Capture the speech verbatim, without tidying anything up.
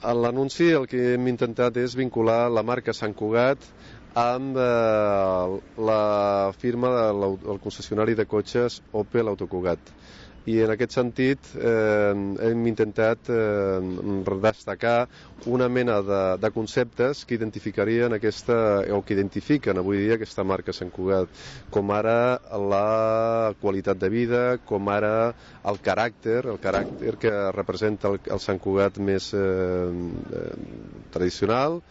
A l'anunci el que hem intentat és vincular la marca Sant Cugat amb eh, la firma del concessionari de cotxes Opel Autocugat. I en aquest sentit eh, hem intentat eh, destacar una mena de, de conceptes que identificarien aquesta, o que identifiquen avui dia aquesta marca Sant Cugat, com ara la qualitat de vida, com ara el caràcter, el caràcter que representa el, el Sant Cugat més eh, eh, tradicional.